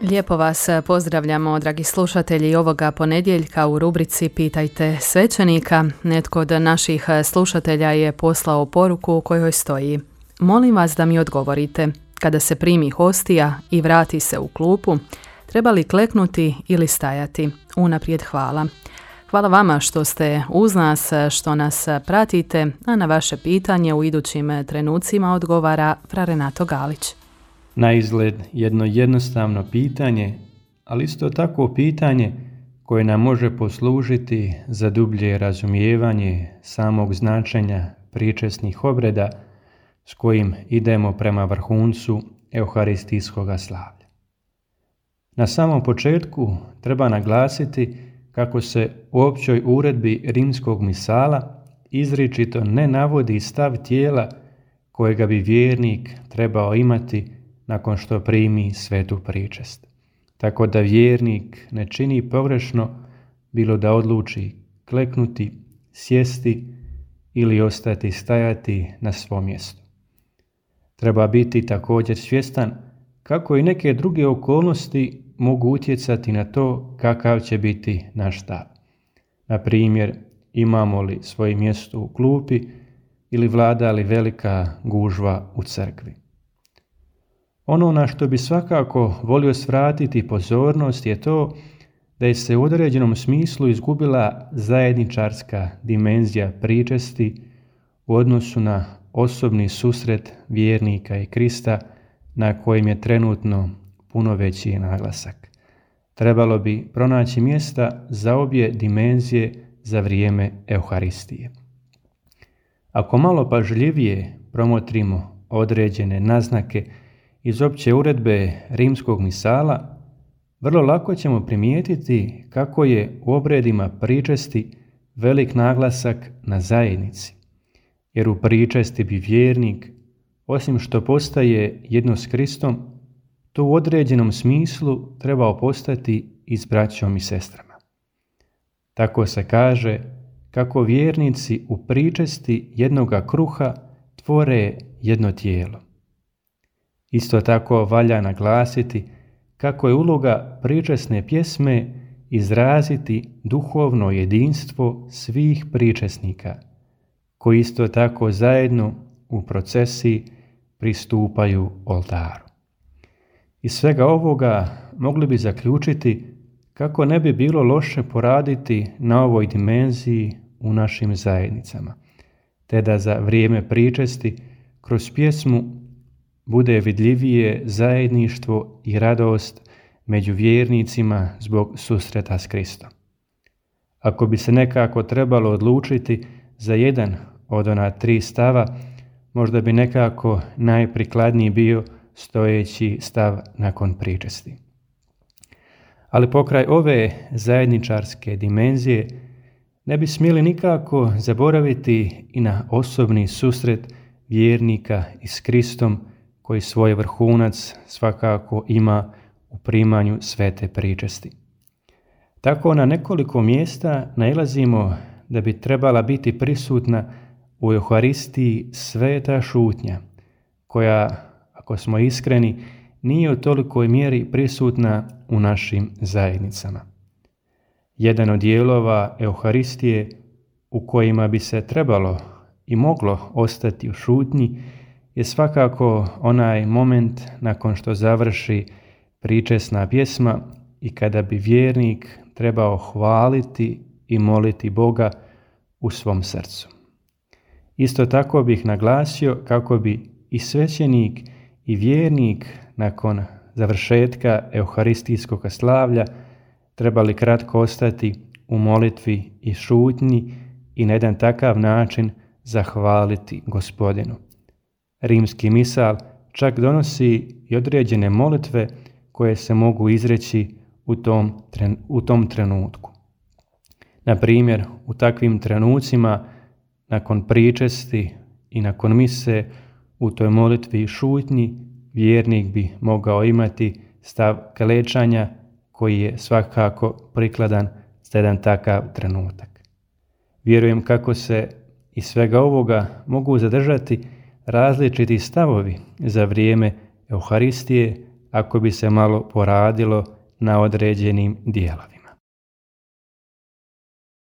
Lijepo vas pozdravljamo, dragi slušatelji, ovoga ponedjeljka u rubrici Pitajte svećenika. Netko od naših slušatelja je poslao poruku u kojoj stoji: molim vas da mi odgovorite, kada se primi hostija i vrati se u klupu, treba li kleknuti ili stajati? Unaprijed hvala. Hvala vama što ste uz nas, što nas pratite, a na vaše pitanje u idućim trenucima odgovara fra Renato Galić. Na izgled jedno jednostavno pitanje, ali isto tako pitanje koje nam može poslužiti za dublje razumijevanje samog značenja pričesnih obreda s kojim idemo prema vrhuncu euharistijskog slavlja. Na samom početku treba naglasiti kako se u općoj uredbi rimskog misala izričito ne navodi stav tijela kojega bi vjernik trebao imati nakon što primi svetu pričest. Tako da vjernik ne čini pogrešno bilo da odluči kleknuti, sjesti ili ostati stajati na svom mjestu. Treba biti također svjestan kako i neke druge okolnosti mogu utjecati na to kakav će biti naš stav. Na primjer, imamo li svoje mjesto u klupi ili vlada li velika gužva u crkvi. Ono na što bi svakako volio svratiti pozornost je to da je se u određenom smislu izgubila zajedničarska dimenzija pričesti u odnosu na osobni susret vjernika i Krista na kojem je trenutno puno veći naglasak. Trebalo bi pronaći mjesta za obje dimenzije za vrijeme Euharistije. Ako malo pažljivije promotrimo određene naznake iz opće uredbe rimskog misala, vrlo lako ćemo primijetiti kako je u obredima pričesti velik naglasak na zajednici, jer u pričesti bi vjernik, osim što postaje jedno s Kristom, to u određenom smislu trebao postati i s braćom i sestrama. Tako se kaže kako vjernici u pričesti jednoga kruha tvore jedno tijelo. Isto tako valja naglasiti kako je uloga pričesne pjesme izraziti duhovno jedinstvo svih pričesnika, koji isto tako zajedno u procesiji pristupaju oltaru. Iz svega ovoga mogli bi zaključiti kako ne bi bilo loše poraditi na ovoj dimenziji u našim zajednicama, te da za vrijeme pričesti kroz pjesmu bude vidljivije zajedništvo i radost među vjernicima zbog susreta s Kristom. Ako bi se nekako trebalo odlučiti za jedan od ona 3 stava, možda bi nekako najprikladniji bio stojeći stav nakon pričesti. Ali pokraj ove zajedničarske dimenzije ne bi smjeli nikako zaboraviti i na osobni susret vjernika i s Kristom, koji svoj vrhunac svakako ima u primanju svete pričesti. Tako na nekoliko mjesta nailazimo da bi trebala biti prisutna u Euharistiji sveta šutnja, koja, ako smo iskreni, nije u tolikoj mjeri prisutna u našim zajednicama. Jedan od dijelova Euharistije u kojima bi se trebalo i moglo ostati u šutnji je svakako onaj moment nakon što završi pričesna pjesma i kada bi vjernik trebao hvaliti i moliti Boga u svom srcu. Isto tako bih naglasio kako bi i svećenik i vjernik nakon završetka euharistijskog slavlja trebali kratko ostati u molitvi i šutnji i na jedan takav način zahvaliti Gospodinu. Rimski misal čak donosi i određene molitve koje se mogu izreći u tom trenutku. Na primjer, u takvim trenucima, nakon pričesti i nakon mise, u toj molitvi i šutnji, vjernik bi mogao imati stav klečanja koji je svakako prikladan za jedan takav trenutak. Vjerujem kako se iz svega ovoga mogu zadržati različiti stavovi za vrijeme Euharistije, ako bi se malo poradilo na određenim dijelovima.